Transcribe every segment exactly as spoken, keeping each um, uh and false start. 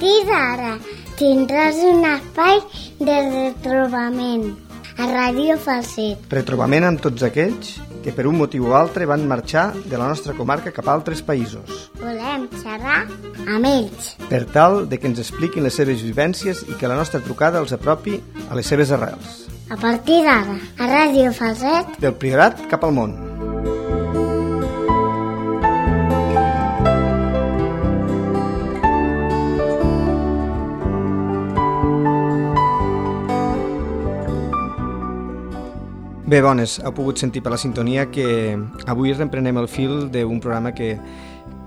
partir d'ara tindràs un espai de retrobament a Ràdio Falset. Retrobament amb tots aquells que per un motiu o altre van marxar de la nostra comarca cap a altres països. Volem xerrar amb ells, per tal de que ens expliquin les seves vivències i que la nostra trucada els apropi a les seves arrels. A partir d'ara, a Ràdio Falset, del Priorat cap al món. Bé, bones, heu pogut sentir per la sintonia que avui reprenem el fil d'un programa que,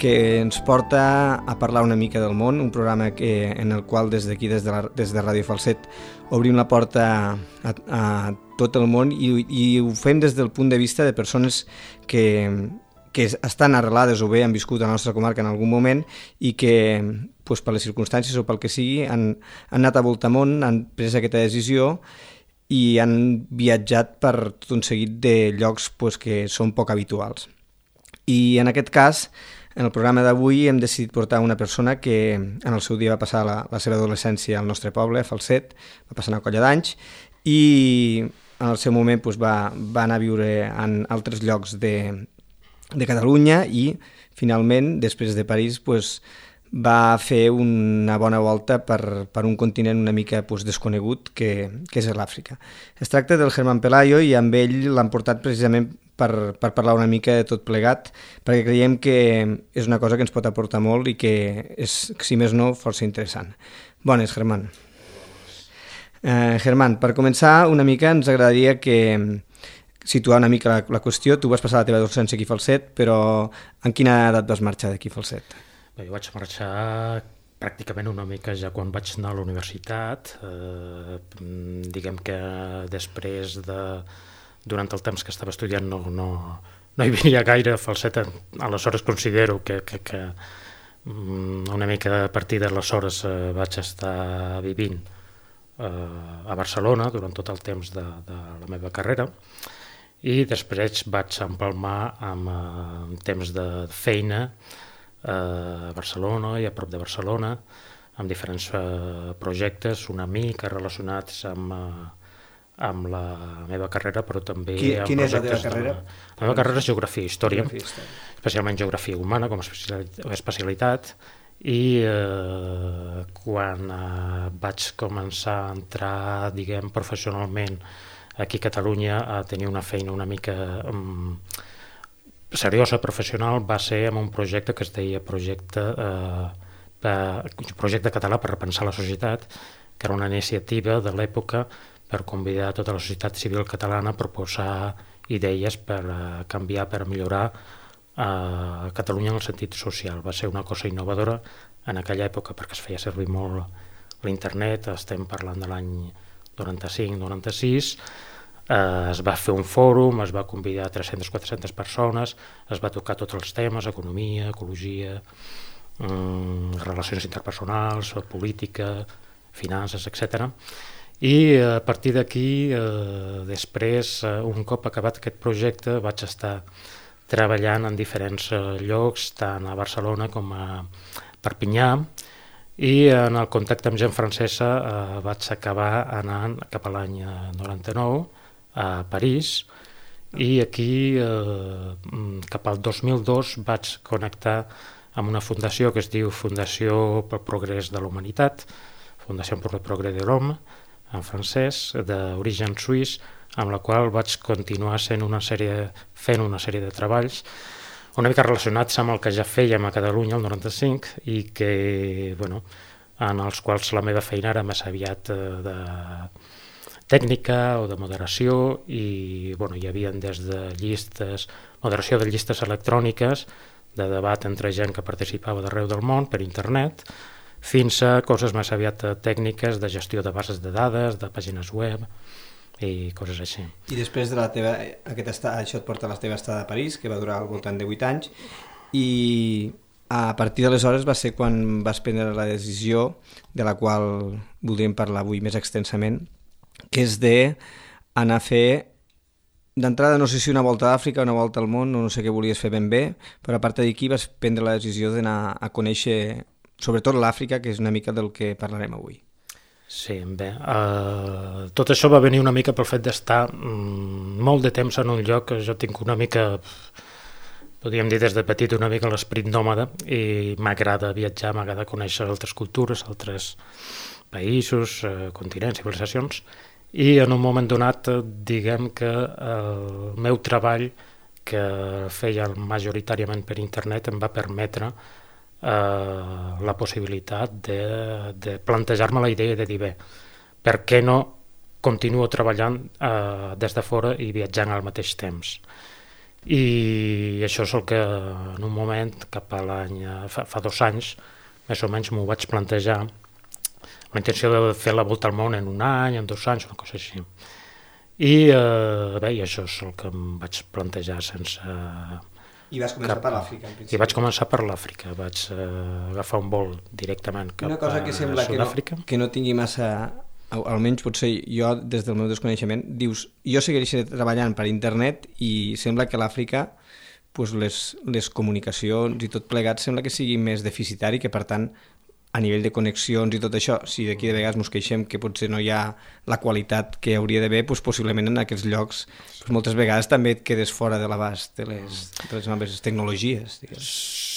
que ens porta a parlar una mica del món, un programa que, en el qual des d'aquí, des de, la, des de Ràdio Falset, obrim la porta a, a tot el món i, i ho fem des del punt de vista de persones que, que estan arrelades o bé han viscut a la nostra comarca en algun moment i que, pues, per les circumstàncies o pel que sigui, han, han anat a voltamont, han pres aquesta decisió i han viatjat per tot un seguit de llocs pues, que són poc habituals. I en aquest cas, en el programa d'avui hem decidit portar una persona que en el seu dia va passar la, la seva adolescència al nostre poble, a Falset, va passar una colla d'anys, i en el seu moment pues, va, va anar a viure en altres llocs de, de Catalunya i finalment, després de París, pues, va fer una bona volta per, per un continent una mica pues, desconegut que, que és l'Àfrica. Es tracta del Germán Pelayo i amb ell l'han portat precisament per, per parlar una mica de tot plegat, perquè creiem que és una cosa que ens pot aportar molt i que és, si més no, força interessant. Bones, Germán. Eh, Germán, per començar una mica ens agradaria que situar una mica la, la qüestió. Tu vas passar la teva adolescència aquí a Falset, però en quina edat vas marxar d'aquí a Falset? Bé, jo vaig marxar pràcticament una mica ja quan vaig anar a la universitat. Eh, diguem que després de... Durant el temps que estava estudiant no, no, no hi venia gaire a Falset. Aleshores considero que, que, que una mica a partir d'aleshores eh, vaig estar vivint eh, a Barcelona durant tot el temps de, de la meva carrera i després vaig empalmar amb eh, temps de feina a Barcelona i a prop de Barcelona, amb diferents uh, projectes, una mica relacionats amb, uh, amb la meva carrera, però també Qui, amb quina projectes... és la teva carrera? De... La meva carrera és Geografia i Història, Geografia, història. especialment Geografia Humana com a especialitat, i uh, quan uh, vaig començar a entrar, diguem, professionalment aquí a Catalunya, a tenir una feina una mica... Um, seriosa, professional, va ser amb un projecte que es deia projecte, eh, per, projecte català per repensar la societat, que era una iniciativa de l'època per convidar tota la societat civil catalana a proposar idees per eh, canviar, per millorar eh, Catalunya en el sentit social. Va ser una cosa innovadora en aquella època perquè es feia servir molt l'internet, estem parlant de l'any noranta-cinc noranta-sis, Uh, es va fer un fòrum, es va convidar tres-centes a quatre-centes persones, es va tocar tots els temes, economia, ecologia, um, relacions interpersonals, política, finances, etcètera. I uh, a partir d'aquí, uh, després, uh, un cop acabat aquest projecte, vaig estar treballant en diferents uh, llocs, tant a Barcelona com a Perpinyà, i en el contacte amb gent francesa uh, vaig acabar anant cap a l'any noranta-nou, a París, i aquí eh, cap al dos mil dos vaig connectar amb una fundació que es diu Fundació pel Progrés de la Humanitat, Fundació per el Progrés de l'Homme, en francès, d'origen suís, amb la qual vaig continuar sent una sèrie, fent una sèrie de treballs una mica relacionats amb el que ja fèiem a Catalunya el noranta-cinc i que, bueno, en els quals la meva feina era més aviat eh, de tècnica o de moderació i bueno, hi havia des de llistes, moderació de llistes electròniques, de debat entre gent que participava d'arreu del món per internet, fins a coses més aviat tècniques de gestió de bases de dades, de pàgines web i coses així. I després de la teva, aquest estat, això et porta a la teva estada a París, que va durar al voltant de vuit anys, i a partir d'aleshores va ser quan vas prendre la decisió, de la qual voldríem parlar avui més extensament, que és d'anar a fer, d'entrada no sé si una volta a Àfrica, una volta al món, no sé què volies fer ben bé, però a part d'aquí vas prendre la decisió d'anar a conèixer sobretot l'Àfrica, que és una mica del que parlarem avui. Sí, bé, uh, tot això va venir una mica pel fet d'estar mm, molt de temps en un lloc que jo tinc una mica, podríem dir des de petit, una mica l'esperit nòmada, i m'agrada viatjar, m'agrada conèixer altres cultures, altres països, uh, continents, civilisacions, i en un moment donat, diguem que el meu treball, que feia majoritàriament per internet, em va permetre Uh, la possibilitat de, de plantejar-me la idea de dir, bé, per què no continuo treballant uh, des de fora i viatjant al mateix temps? I això és el que en un moment, cap a l'any, fa, fa dos anys, més o menys m'ho vaig plantejar, la intenció de fer la volta al món en un any, en dos anys, una cosa així. I uh, bé, i això és el que em vaig plantejar sense... Uh, I vas començar cap... per l'Àfrica, en principi. I vaig començar per l'Àfrica, vaig uh, agafar un vol directament cap a Sud-àfrica. Una cosa que sembla que no, que no tingui massa, almenys potser jo des del meu desconeixement, dius, jo seguiré treballant per internet i sembla que l'Àfrica, pues les, les comunicacions i tot plegat sembla que sigui més deficitari, que per tant a nivell de connexions i tot això, si d'aquí de vegades ens queixem que potser no hi ha la qualitat que hauria d'haver, doncs possiblement en aquests llocs doncs moltes vegades també et quedes fora de l'abast de les, de les noves tecnologies. Digues.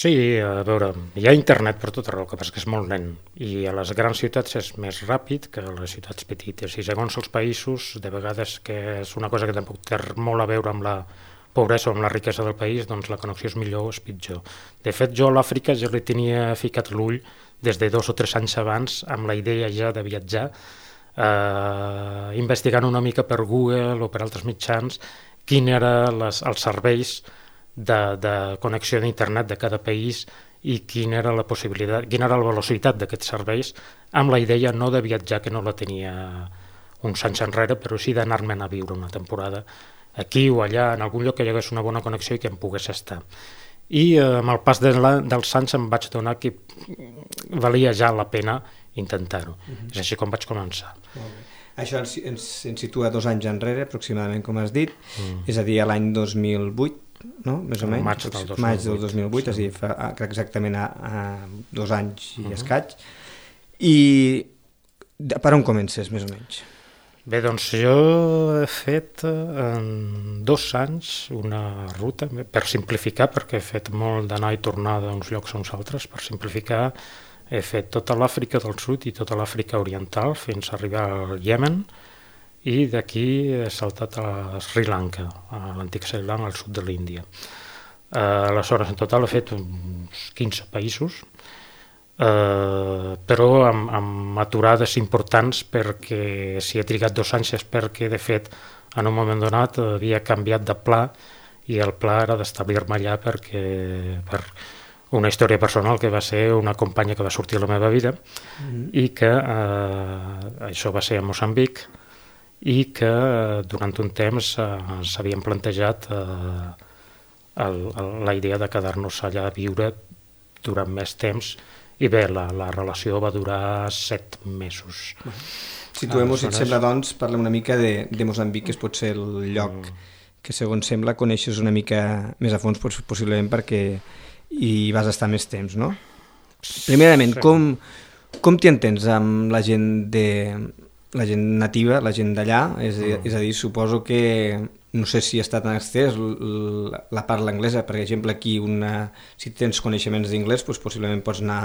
Sí, a veure, hi ha internet per tot arreu, que passa que és molt lent, i a les grans ciutats és més ràpid que a les ciutats petites, i segons els països, de vegades que és una cosa que tampoc té molt a veure amb la pobresa o amb la riquesa del país, doncs la connexió és millor o és pitjor. De fet, jo a l'Àfrica ja li tenia ficat l'ull des de dos o tres anys abans, amb la idea ja de viatjar, eh, investigant una mica per Google o per altres mitjans quin eren les, els serveis de, de connexió d'internet de cada país i quina era la possibilitat, quina era la velocitat d'aquests serveis, amb la idea no de viatjar, que no la tenia uns anys enrere, però sí d'anar-me'n a viure una temporada aquí o allà, en algun lloc que hi hagués una bona connexió i que em pogués estar. I eh, amb el pas de la, dels anys em vaig donar que valia ja la pena intentar-ho. Uh-huh. És així com vaig començar. Això ens, ens, ens situa dos anys enrere, aproximadament, com has dit, mm. és a dir, a l'any dos mil vuit, no? Més o menys? Maig del dos mil vuit. Maig del dos mil vuit, sí. És a dir, fa exactament a, a dos anys i uh-huh. escaig. I per on comences, més o menys? Bé, doncs jo he fet en dos anys una ruta, per simplificar, perquè he fet molt d'anar i tornar d'uns llocs a uns altres, per simplificar he fet tota l'Àfrica del Sud i tota l'Àfrica Oriental fins a arribar al Iemen, i d'aquí he saltat a Sri Lanka, a l'antic Sri Lanka, al sud de l'Índia. Uh, aleshores, en total he fet uns quinze països, Uh, però amb, amb aturades importants, perquè si he trigat dos anys és perquè de fet en un moment donat havia canviat de pla i el pla era d'establir-me allà perquè per una història personal que va ser una companya que va sortir a la meva vida mm-hmm. i que uh, això va ser a Moçambic i que uh, durant un temps uh, s'havien plantejat uh, el, el, la idea de quedar-nos allà a viure durant més temps. I bé, la, la relació va durar set mesos. Situem-ho, si et sembla, doncs, parla una mica de, de Moçambic, que és potser el lloc mm. que, segons sembla, coneixes una mica més a fons, possiblement perquè hi vas estar més temps, no? Primerament, sí. com, com t'hi entens amb la gent, de, la gent nativa, la gent d'allà? És, mm. és a dir, suposo que... No sé si està tan estès la, la parla anglesa, per exemple, aquí una, si tens coneixements d'inglès, doncs possiblement pots anar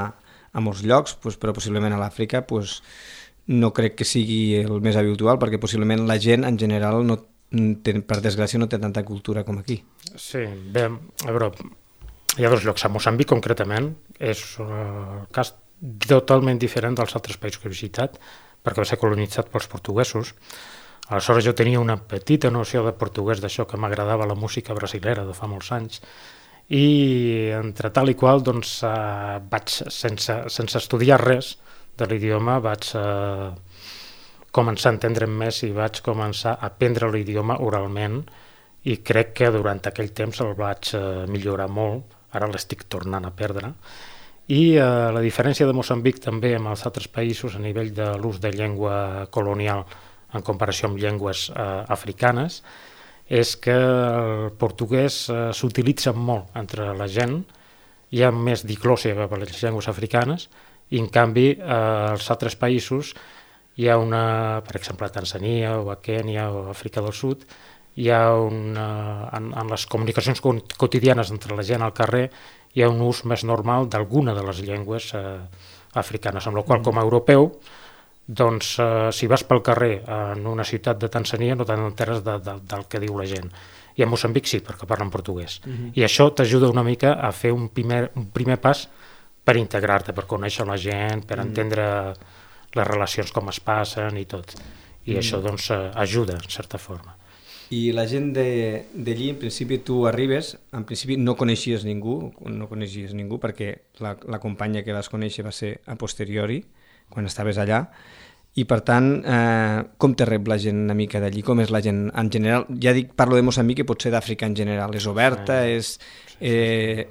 a molts llocs, doncs, però possiblement a l'Àfrica doncs, no crec que sigui el més habitual, perquè possiblement la gent en general, no, per desgràcia, no té tanta cultura com aquí. Sí, bé, a veure, hi ha dos llocs. A Moçambic, concretament, és un cas totalment diferent dels altres països que he visitat, perquè va ser colonitzat pels portuguesos. Aleshores jo tenia una petita noció de portuguès, d'això que m'agradava la música brasilera de fa molts anys, i entre tal i qual doncs, eh, vaig, sense, sense estudiar res de l'idioma, vaig eh, començar a entendre'm més i vaig començar a aprendre l'idioma oralment, i crec que durant aquell temps el vaig eh, millorar molt, ara l'estic tornant a perdre. I eh, la diferència de Moçambic també amb els altres països a nivell de l'ús de llengua colonial en comparació amb llengües eh, africanes, és que el portuguès eh, s'utilitza molt entre la gent hi ha més diglòssia per les llengües africanes, i en canvi als altres països hi ha una, per exemple a Tanzània o a Kènia o a Àfrica del Sud, hi ha una, en, en les comunicacions quotidianes entre la gent al carrer hi ha un ús més normal d'alguna de les llengües eh, africanes, amb la qual com a europeu, doncs eh, si vas pel carrer en una ciutat de Tanzània no t'enteres de, de, del que diu la gent. I a Moçambic sí, perquè parlen portuguès. Uh-huh. I això t'ajuda una mica a fer un primer, un primer pas per integrar-te, per conèixer la gent, per uh-huh. entendre les relacions com es passen i tot. I uh-huh. això doncs ajuda, en certa forma. I la gent d'allí, en principi, tu arribes, en principi no coneixies ningú, no coneixies ningú perquè la, la companya que vas conèixer va ser a posteriori, quan estaves allà, i per tant, eh, com te rep la gent una mica d'allí? Com és la gent en general? Ja dic, parlo de Moçambic i potser d'Àfrica en general. És oberta, és, eh,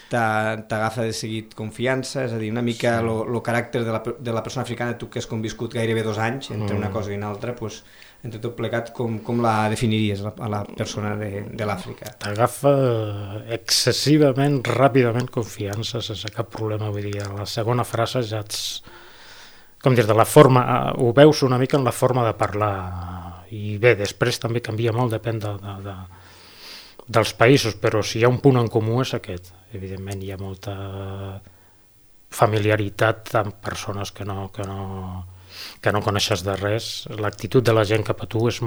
t'agafa de seguit confiança, és a dir, una mica el caràcter de la, de la persona africana, tu que has conviscut gairebé dos anys entre una cosa i una altra, doncs, entre tot plegat, com, com la definiries a la persona de, de l'Àfrica? T'agafa excessivament, ràpidament confiança, sense cap problema. Vull dir, a la segona frase ja ets... Com dir, de la forma, ho veus una mica en la forma de parlar. I bé, després també canvia molt, depèn de, de, de, dels països, però si hi ha un punt en comú és aquest. Evidentment hi ha molta familiaritat amb persones que no... Que no que no coneixes de res. L'actitud de la gent cap a tu és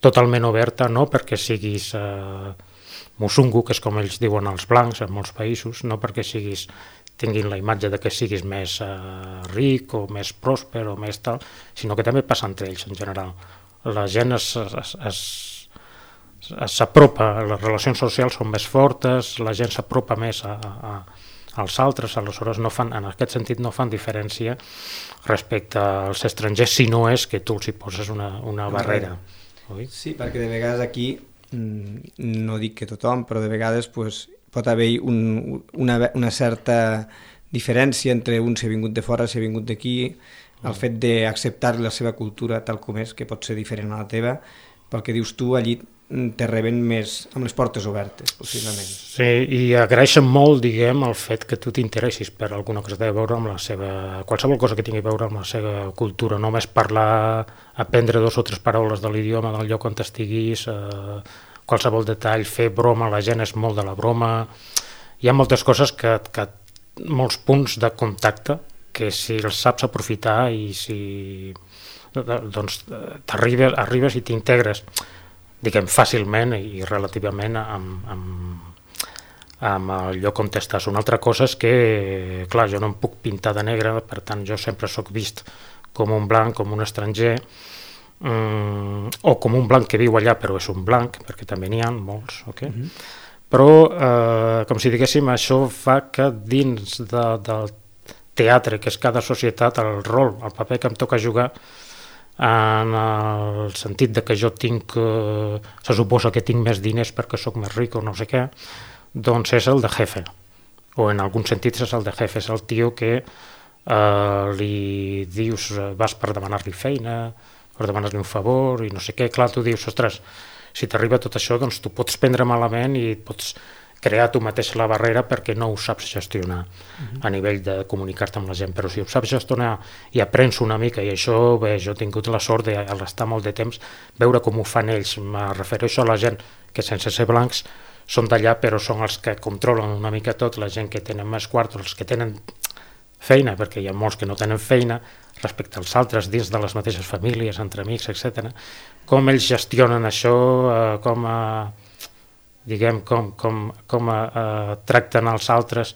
totalment oberta, no perquè siguis eh, musungu, que és com ells diuen els blancs en molts països, no perquè siguis, tinguin la imatge de que siguis més eh, ric o més pròsper o més tal, sinó que també passa entre ells en general. La gent s'apropa, les relacions socials són més fortes, la gent s'apropa més a, a, als altres, aleshores no fan, en aquest sentit no fan diferència respecte als estrangers, si no és que tu els hi poses una, una barrera. Oi? Sí, perquè de vegades aquí, no dic que tothom, però de vegades pues, pot haver un, una, una certa diferència entre un si ha vingut de fora, si ha vingut d'aquí, el fet d'acceptar la seva cultura tal com és, que pot ser diferent a la teva, pel que dius tu, allí te reben més amb les portes obertes, possiblement. Sí, i agraeixen molt, diguem, el fet que tu t'interessis per alguna cosa que té a veure amb la seva... qualsevol cosa que tingui a veure amb la seva cultura, només parlar, aprendre dos o tres paraules de l'idioma del lloc on estiguis, eh, qualsevol detall, fer broma, la gent és molt de la broma... Hi ha moltes coses que... que molts punts de contacte que si els saps aprofitar i si... doncs t'arribes arribes i t'integres diguem, fàcilment i relativament amb, amb, amb el lloc on estàs. Una altra cosa és que, clar, jo no em puc pintar de negre, per tant, jo sempre sóc vist com un blanc, com un estranger, um, o com un blanc que viu allà, però és un blanc, perquè també n'hi ha molts, ok? Mm-hmm. Però, eh, com si diguéssim, això fa que dins de, del teatre, que és cada societat, el rol, el paper que em toca jugar, en el sentit de que jo tinc, eh, se suposa que tinc més diners perquè sóc més ric o no sé què, doncs és el de jefe, o en algun sentit és el de jefe, és el tio que eh, li dius, vas per demanar-li feina, per demanar-li un favor i no sé què, clar, tu dius, ostres, si t'arriba tot això, doncs tu pots prendre malament i pots crear tu mateix la barrera perquè no ho saps gestionar uh-huh. a nivell de comunicar-te amb la gent, però si ho saps gestionar i aprens una mica, i això, bé, jo he tingut la sort d'estar molt de temps, veure com ho fan ells, me refereixo a la gent que sense ser blancs són d'allà, però són els que controlen una mica tot, la gent que tenen més quartos, els que tenen feina, perquè hi ha molts que no tenen feina, respecte als altres, dins de les mateixes famílies, entre amics, etcètera. Com ells gestionen això, eh, com a... diguem, com, com, com uh, tracten els altres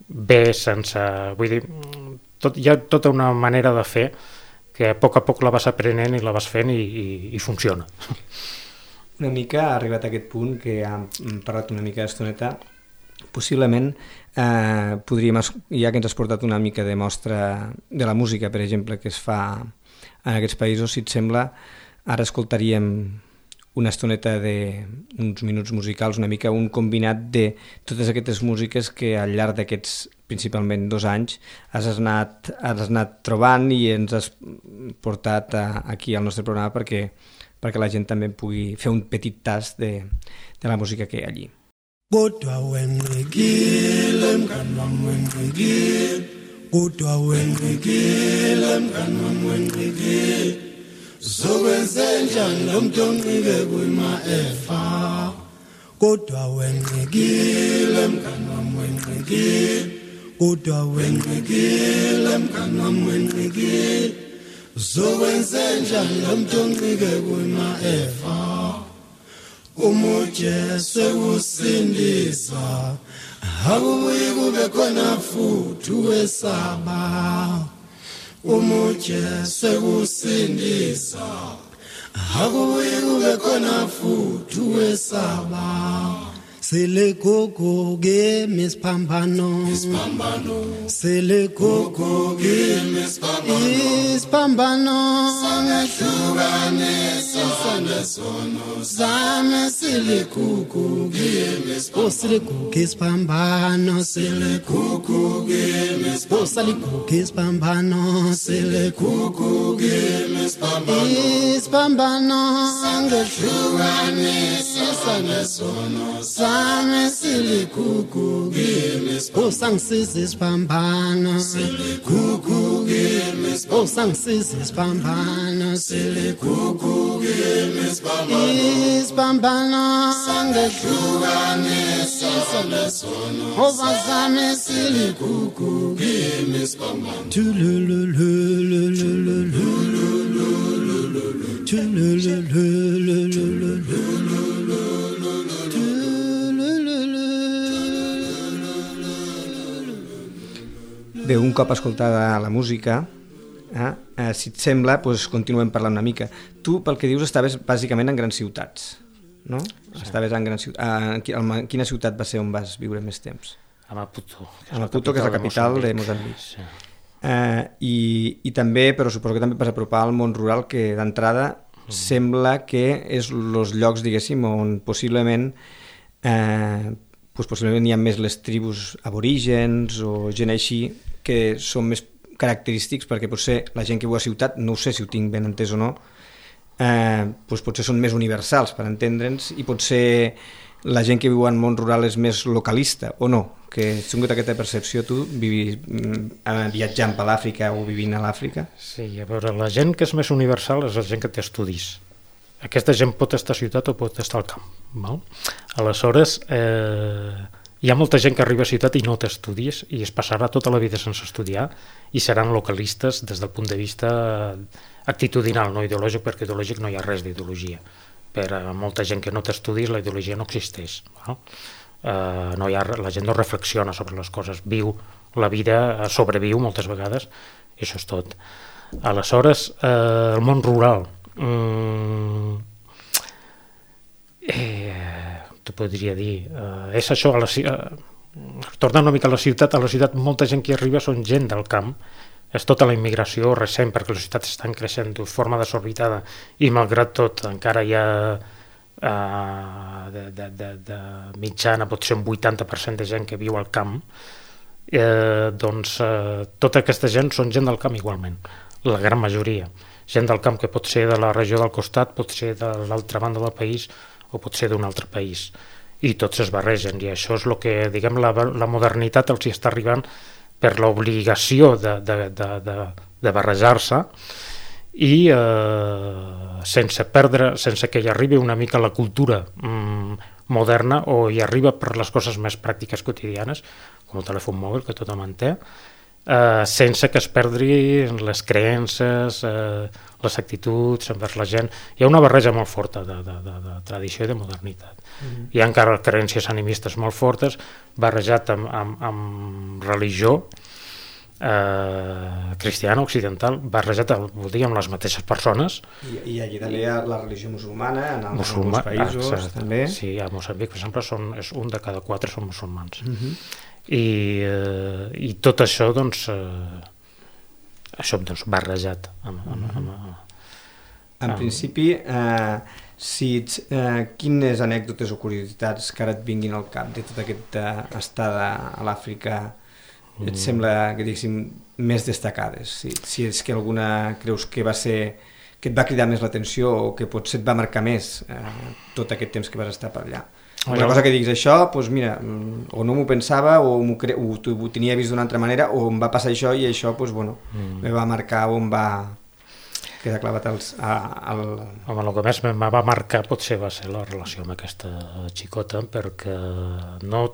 bé sense... Vull dir, tot, hi ha tota una manera de fer que a poc a poc la vas aprenent i la vas fent i, i, i funciona. Una mica ha arribat a aquest punt que hem parlat una mica d'estoneta, possiblement eh, podríem, ja que ens has portat una mica de mostra de la música, per exemple, que es fa en aquests països, si et sembla, ara escoltaríem una estoneta d'uns minuts musicals, una mica un combinat de totes aquestes músiques que al llarg d'aquests, principalment dos anys, has anat, has anat trobant i ens has portat a, aquí al nostre programa perquè, perquè la gent també pugui fer un petit tast de, de la música que hi ha allí. Kodwa wenqikile mngani wami wenqikile, kodwa wenqikile mngani wami wenqikile, zokwenzenjani lo muntu onqike kuyima-efa. Kodwa wenqikile mngani wami wenqikile, kodwa wenqikile mngani wami wenqikile, zokwenzenjani lo muntu onqike kuyima-efa. Umujesu usindisa, akubuyi kube khona futhi wesaba. Umujesu usindisa, akubuyi kube khona futhi wesaba. Sele gogo ke misphambano, misphambano. Sele gogo ke misphambano, misphambano. Sangehlukanisa nesono zame. Sele gogo ke misphambano, sele gogo ke misphambano, sele gogo ke misphambano, sele gogo ke misphambano, sele gogo ke misphambano, misphambano. Sangehlukanisa nesono zame. Same silikuku gimis, oh sangisisis pambano, silikuku gimis, oh sangisisis pambano, silikuku gimis pambano, is pambano, sangehlukanisa nesono, oh same silikuku gimis pambano, tululululululululululululu, tulululululululululu. Bé, un cop escoltada la música, eh, eh, si et sembla, doncs continuem parlant una mica. Tu, pel que dius, estaves bàsicament en grans ciutats, no? Sí. Estaves en grans ciutats. En quina ciutat va ser on vas viure més temps? A Maputo. A Maputo, que és la capital de Moçambic. Sí. Eh, i, I també, però suposo que també vas apropar al món rural, que d'entrada mm. sembla que és els llocs, diguéssim, on possiblement... Eh, pues possiblement hi ha més les tribus aborígens o gent així que són més característics, perquè potser la gent que viu a ciutat, no ho sé si ho tinc ben entès o no, eh, pues potser són més universals per entendre'ns, i potser la gent que viu en món rural és més localista, o no? Que has tingut aquesta percepció tu, vivi, viatjant per l'Àfrica o vivint a l'Àfrica? Sí, a veure, la gent que és més universal és la gent que té estudis. Aquesta gent pot estar a ciutat o pot estar al camp. Val? Aleshores, eh, hi ha molta gent que arriba a ciutat i no té estudis i es passarà tota la vida sense estudiar i seran localistes des del punt de vista actitudinal, no ideològic, perquè ideològic no hi ha res d'ideologia. Per a molta gent que no té estudis, la ideologia no existeix. Val? Eh, no hi ha, la gent no reflexiona sobre les coses, viu la vida, sobreviu moltes vegades, i això és tot. Aleshores, eh, el món rural, Mm, eh, t'ho podria dir, eh, és això, a la, eh, tornant una mica a la ciutat, a la ciutat molta gent que hi arriba són gent del camp, és tota la immigració recent, perquè les ciutats estan creixent de forma desorbitada i malgrat tot encara hi ha eh, de, de, de, de mitjana potser un vuitanta per cent de gent que viu al camp, eh, doncs eh, tota aquesta gent són gent del camp igualment, la gran majoria. Gent del camp que pot ser de la regió del costat, pot ser de l'altra banda del país o pot ser d'un altre país. I tots es barregen, i això és el que, diguem, la, la modernitat els hi està arribant per l'obligació de, de, de, de, de barrejar-se i eh, sense perdre, sense que hi arribi una mica la cultura mm, moderna, o hi arriba per les coses més pràctiques quotidianes, com el telèfon mòbil, que tothom en té, Uh, sense que es perdi les creences, uh, les actituds envers la gent. Hi ha una barreja molt forta de, de, de, de tradició i de modernitat. Mm-hmm. Hi ha encara creences animistes molt fortes, barrejat amb, amb, amb religió uh, cristiana, occidental, barrejat vol dir, amb les mateixes persones. I, i allí també hi ha la religió musulmana, en alguns Musulma, països ah, també. Sí, a Moçambic, per exemple, són, és un de cada quatre són musulmans. Mm-hmm. I, eh, i tot això doncs, eh, això doncs, barrejat amb, amb, amb, amb, en amb... principi eh, si ets, eh, quines anècdotes o curiositats que ara et vinguin al cap de tota aquesta estada a l'Àfrica et mm. sembla que diguéssim més destacades, si, si és que alguna creus que va ser que et va cridar més l'atenció o que potser et va marcar més eh, tot aquest temps que vas estar per allà? Una cosa que diguis això, doncs mira, o no m'ho pensava, o, cre... o ho tenia vist d'una altra manera, o em va passar això i això, doncs, bueno, mm. me va marcar o em va quedar clavat als, a, al... Home, el que més em va marcar potser va ser la relació amb aquesta xicota, perquè no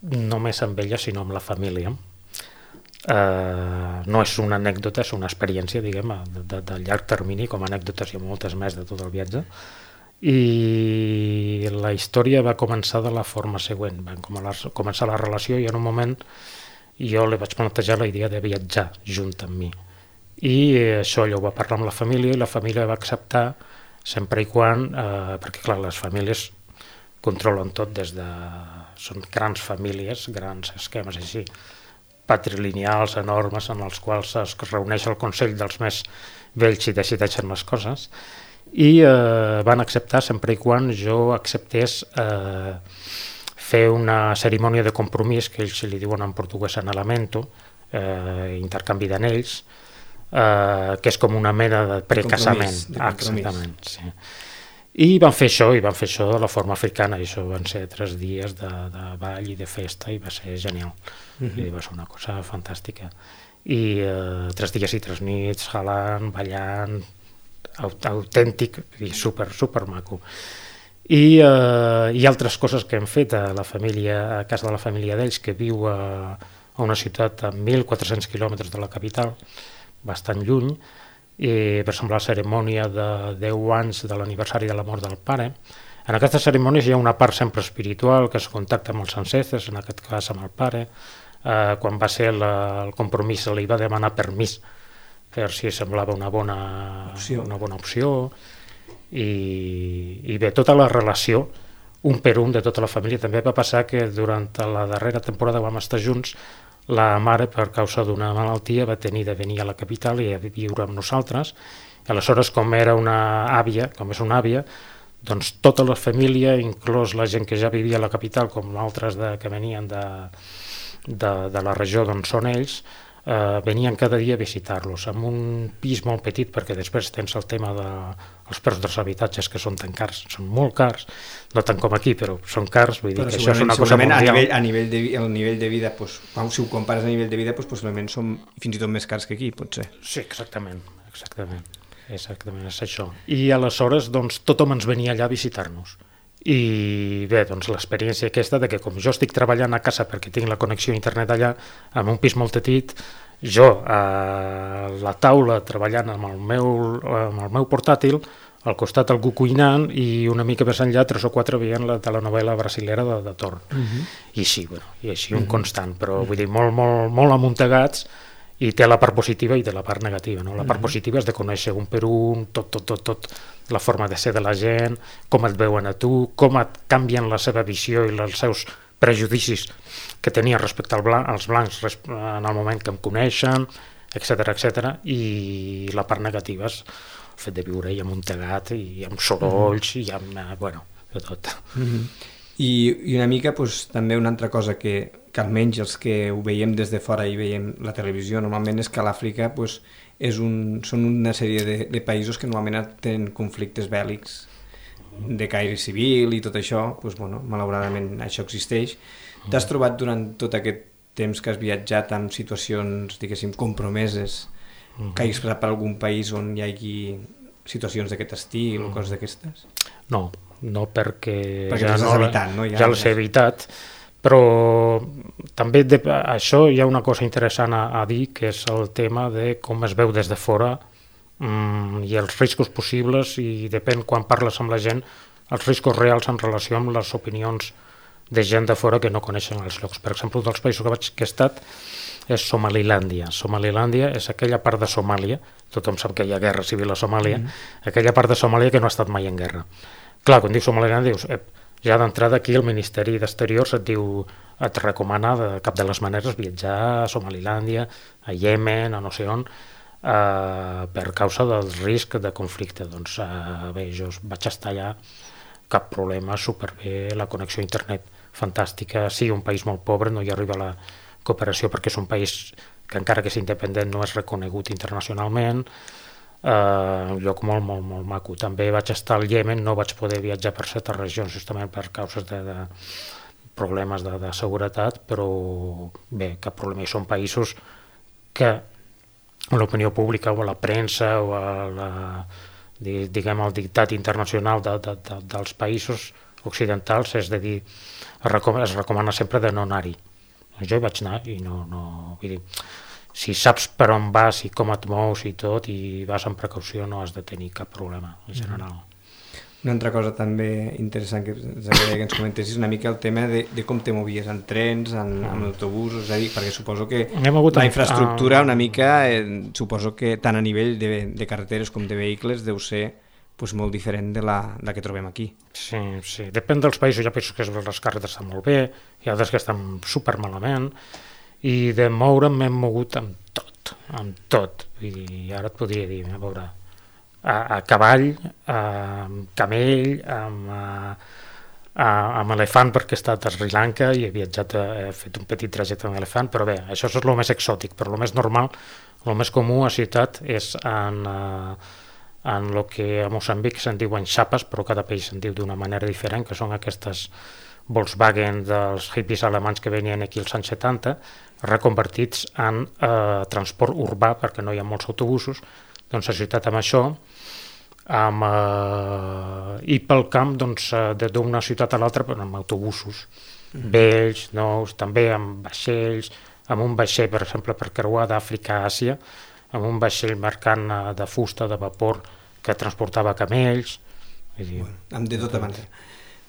només amb ella, sinó amb la família. Uh, no és una anècdota, és una experiència, diguem, de, de, de llarg termini, com a anècdotes i moltes més de tot el viatge. I la història va començar de la forma següent. Va començar la relació i en un moment jo li vaig plantejar la idea de viatjar junt amb mi. I això ella ho va parlar amb la família i la família va acceptar sempre i quan, eh, perquè clar, les famílies controlen tot des de... Són grans famílies, grans esquemes així, patrilineals, enormes, en els quals es reuneix el consell dels més vells i decideixen les coses. I eh, van acceptar sempre i quan jo acceptés eh, fer una cerimònia de compromís, que ells li diuen en portuguès anhelamento, eh, intercanvi d'anells, eh, que és com una mena de precasament. De compromís. Exactament, sí. I van fer això, i van fer això de la forma africana, i això van ser tres dies de, de ball i de festa, i va ser genial. Uh-huh. I va ser una cosa fantàstica. I eh, tres dies i tres nits, jalant, ballant, autèntic i super, super maco. I eh, hi ha altres coses que hem fet a la família, a casa de la família d'ells, que viu a, a una ciutat a mil quatre-cents quilòmetres de la capital, bastant lluny, i per exemple la cerimònia de deu anys de l'aniversari de la mort del pare. En aquestes cerimònies hi ha una part sempre espiritual, que es contacta amb els ancestres, en aquest cas amb el pare. Eh, quan va ser la, el compromís li va demanar permís per si semblava una bona opció, una bona opció. I, i bé, tota la relació, un per un de tota la família. També va passar que durant la darrera temporada vam estar junts, la mare, per causa d'una malaltia, va tenir de venir a la capital i a viure amb nosaltres. I aleshores, com era una àvia, com és una àvia, doncs tota la família, inclús la gent que ja vivia a la capital, com altres de, que venien de, de, de la regió d'on són ells, Uh, venien cada dia a visitar-los amb un pis molt petit, perquè després tens el tema dels de, preus dels habitatges que són tan cars, són molt cars, no tant com aquí, però són cars, vull dir però que això és una cosa mundial. A nivell, a nivell de, el nivell de vida, doncs, si ho compares a nivell de vida, doncs, possiblement són fins i tot més cars que aquí, potser. Sí, exactament, exactament, exactament és això. I aleshores doncs, tothom ens venia allà a visitar-nos. I bé, doncs l'experiència aquesta de que com jo estic treballant a casa perquè tinc la connexió a internet allà, amb un pis molt petit, jo a la taula treballant amb el meu, amb el meu portàtil, al costat algú cuinant i una mica més enllà tres o quatre veient la telenovela brasilera de, de torn. Uh-huh. I així, bueno, i així un uh-huh. constant, però vull dir, molt, molt, molt amuntegats, i té la part positiva i té la part negativa. No? La part positiva és de conèixer un per un, tot, tot, tot, tot, la forma de ser de la gent, com et veuen a tu, com et canvien la seva visió i els seus prejudicis que tenien respecte al blanc, als blancs en el moment que em coneixen, etcètera, etcètera. I la part negativa és el fet de viure i amuntegat i amb sorolls i amb, bueno, de tot. Mm-hmm. I, i una mica doncs, també una altra cosa que, que almenys els que ho veiem des de fora i veiem la televisió normalment és que a l'Àfrica doncs, és un, són una sèrie de, de països que normalment tenen conflictes bèl·lics de caire civil i tot això, doncs, bueno, malauradament això existeix. T'has trobat durant tot aquest temps que has viatjat amb situacions, diguéssim, compromeses, que hagis passat per algun país on hi hagi situacions d'aquest estil o coses d'aquestes? No, no perquè, perquè ja, no, evitat, no? ja, ja les he evitat, però també de, això hi ha una cosa interessant a, a dir, que és el tema de com es veu des de fora mm, i els riscos possibles, i depèn quan parles amb la gent, els riscos reals en relació amb les opinions de gent de fora que no coneixen els llocs. Per exemple, un dels països que, vaig, que he estat és Somalilàndia. Somalilàndia és aquella part de Somàlia, tothom sap que hi ha guerra civil a Somàlia, mm-hmm. aquella part de Somàlia que no ha estat mai en guerra. Clar, quan dius Somalilàndia, dius, eh, ja d'entrada aquí el Ministeri d'Exteriors et diu, et recomana de cap de les maneres viatjar a Somalilàndia, a Iemen, a no sé on, eh, per causa del risc de conflicte. Doncs eh, bé, jo vaig estar allà, cap problema, superbé, la connexió a internet fantàstica, sí, un país molt pobre, no hi arriba la cooperació perquè és un país que encara que és independent no és reconegut internacionalment, Uh, un lloc molt, molt, molt maco. També vaig estar al Iemen, no vaig poder viatjar per certes regions justament per causes de, de problemes de, de seguretat, però bé, cap problema. I són països que l'opinió pública o la premsa o la, diguem, el dictat internacional de, de, de, dels països occidentals, és de dir, es recomana, es recomana sempre de no anar-hi. Jo hi vaig anar i no, no, vull dir, si saps per on vas i com et mous i tot i vas amb precaució no has de tenir cap problema en general. Una altra cosa també interessant que ens agradaria que ens comentessis una mica el tema de, de com te movies en trens, en, mm. en autobusos, és a dir, perquè suposo que la infraestructura una mica, eh, suposo que tant a nivell de, de carreteres com de vehicles deu ser pues, molt diferent de la, de la que trobem aquí. Sí, sí, depèn dels països, hi ha països que les carreteres estan molt bé, hi ha altres que estan super malament, i de moure'm m'hem mogut amb tot, amb tot. I ara et podria dir, a veure, a, a cavall, a, amb camell, amb, a, a, amb elefant, perquè he estat a Sri Lanka i he viatjat, he fet un petit trajecte amb elefant, però bé, això és el més exòtic, però el més normal, el més comú a ciutat és en, en el que a Moçambic se'n diuen xapes, però cada país se'n diu d'una manera diferent, que són aquestes Volkswagen dels hippies alemanys que venien aquí als anys setanta, reconvertits en eh, transport urbà, perquè no hi ha molts autobusos, doncs a ciutat amb això, amb, eh, i pel camp doncs, d'una ciutat a l'altra amb autobusos, mm. vells, nous, també amb vaixells, amb un vaixell, per exemple, per creuar d'Àfrica a Àsia, amb un vaixell mercant de fusta, de vapor, que transportava camells. Dir, bueno, amb de tota manera.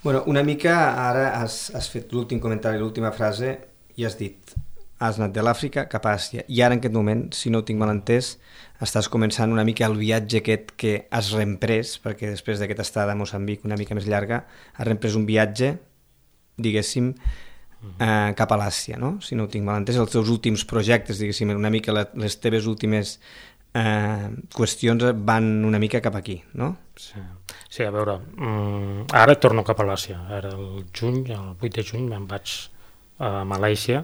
Bueno, una mica ara has, has fet l'últim comentari, l'última frase, i has dit, has anat de l'Àfrica cap a Àsia, i ara en aquest moment, si no ho tinc mal entès, estàs començant una mica el viatge aquest que has reemprès, perquè després d'aquesta estada a Moçambic una mica més llarga, has reemprès un viatge, diguéssim, eh, cap a l'Àsia, no? Si no ho tinc mal entès, els teus últims projectes, diguéssim, una mica les teves últimes eh, qüestions van una mica cap aquí, no? Sí, sí a veure, um, ara torno cap a l'Àsia, ara el juny, el vuit de juny me'n vaig a Malàisia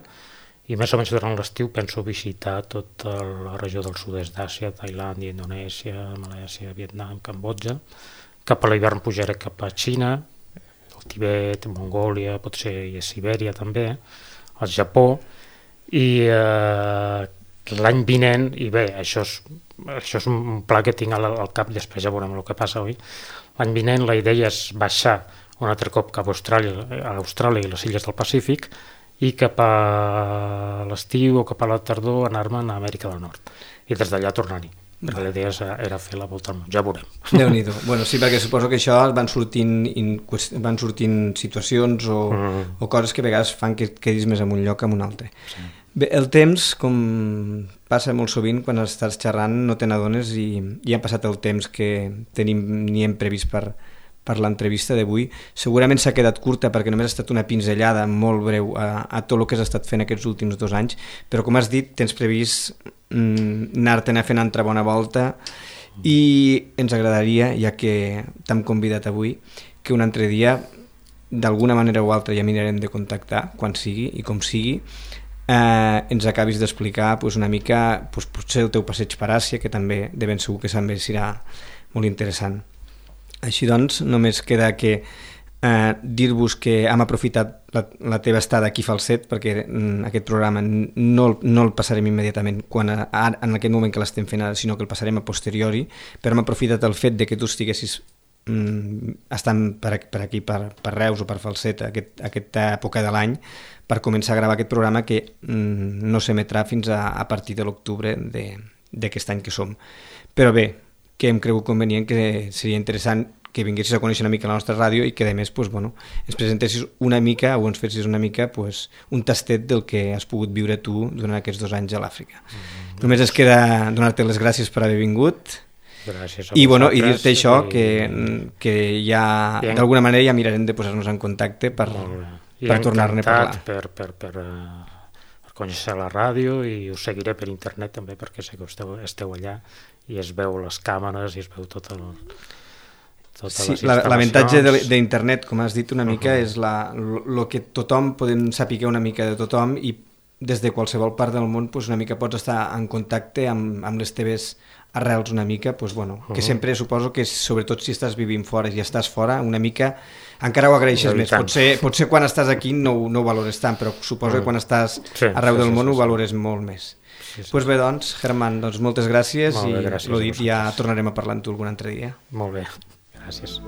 i més o menys durant l'estiu penso visitar tota la regió del sud-est d'Àsia, Tailàndia, Indonèsia, Malàisia, Vietnam, Cambodja. Cap a l'hivern pujaré cap a Xina, el Tibet, Mongòlia, potser i a Sibèria també, al Japó, i eh, l'any vinent, i bé, això és, això és un pla que tinc al, al cap, després ja veurem el que passa avui, l'any vinent la idea és baixar un altre cop cap a Austràlia, a Austràlia i les illes del Pacífic, i cap a l'estiu o cap a la tardor anar-me'n a Amèrica del Nord, i des d'allà tornar-hi. Perquè la idea era fer la volta al món, ja veurem. Déu-n'hi-do. Bueno, sí, perquè suposo que això van sortint, in, van sortint situacions o, mm. o coses que a vegades fan que et quedis més en un lloc que en un altre. Sí. Bé, el temps, com passa molt sovint, quan estàs xerrant no te n'adones i ja ha passat el temps que tenim ni hem previst per, per l'entrevista d'avui. Segurament s'ha quedat curta perquè només ha estat una pinzellada molt breu a, a tot el que has estat fent aquests últims dos anys, però com has dit, tens previst mm, anar-te'n a fer una altra bona volta i ens agradaria, ja que t'hem convidat avui, que un altre dia, d'alguna manera o altra, ja mirarem de contactar, quan sigui i com sigui, eh, ens acabis d'explicar pues, una mica pues, potser el teu passeig per Àsia, que també de ben segur que també serà molt interessant. Així doncs, només queda que eh, dir-vos que hem aprofitat la, la teva estada aquí Falset, perquè mm, aquest programa no, no el passarem immediatament quan a, a, en aquest moment que l'estem fent ara, sinó que el passarem a posteriori, però hem aprofitat el fet de que tu estiguessis mm, estant per, per aquí, per, per Reus o per Falset, aquest, aquesta època de l'any, per començar a gravar aquest programa que mm, no s'emetrà fins a, a partir de l'octubre d'aquest any que som. Però bé, que hem cregut convenient que seria interessant que vinguessis a conèixer una mica la nostra ràdio i que a més pues, bueno, ens presentessis una mica o ens fessis una mica pues, un tastet del que has pogut viure tu durant aquests dos anys a l'Àfrica. Mm, Només es queda donar-te les gràcies per haver vingut. Gràcies a I, bueno, i dir-te vosaltres això, i- que, que ja Bien. d'alguna manera ja mirarem de posar-nos en contacte per, Molt bé. I per tornar-ne a parlar. encantat per, per, per, eh, per conèixer la ràdio i us seguiré per internet també perquè sé que esteu, esteu allà i es veu les càmeres i es veu tot el, totes Sí, les la- l'avantatge instal·lacions. de- d'internet, com has dit una mica, Uh-huh. és la, lo, lo que tothom podem saber una mica de tothom i des de qualsevol part del món pues, una mica pots estar en contacte amb, amb les teves arrels una mica, pues, bueno, uh -huh. que sempre suposo que sobretot si estàs vivint fora i estàs fora, una mica encara ho agraeixes més. Potser, potser quan estàs aquí no, no ho valores tant, però suposo uh -huh. que quan estàs sí, arreu sí, del sí, món sí, ho valores sí. molt més. Sí, sí. Pues bé, doncs, Germán, doncs moltes gràcies molt bé, gràcies i, l'ho dit, ja tornarem a parlar amb tu algun altre dia. Molt bé, gràcies.